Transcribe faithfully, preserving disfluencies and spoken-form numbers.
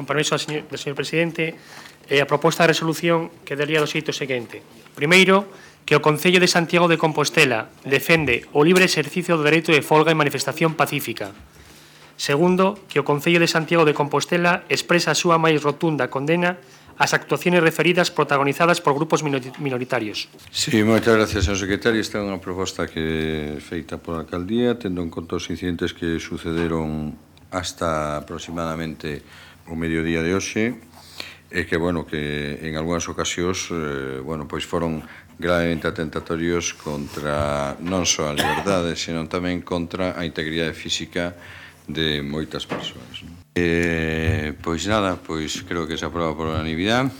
con permiso do señor, do señor Presidente, eh, a proposta de resolución quedaría do xeito seguinte. Primeiro, que o Concello de Santiago de Compostela defende o libre exercicio do dereito de folga e manifestación pacífica. Segundo, que o Concello de Santiago de Compostela expresa a súa máis rotunda condena ás actuaciones referidas protagonizadas por grupos minoritarios. Sí, moitas gracias, señor secretario. Esta é unha proposta que é feita pola alcaldía, tendo en conta os incidentes que sucederon hasta aproximadamente o mediodía de hoxe, e que, bueno, que en algunhas ocasións, eh, bueno, pois foron gravemente atentatorios contra non só a liberdade, senón tamén contra a integridade física de moitas persoas. Eh, pois nada, pois creo que se aproba por unanimidade.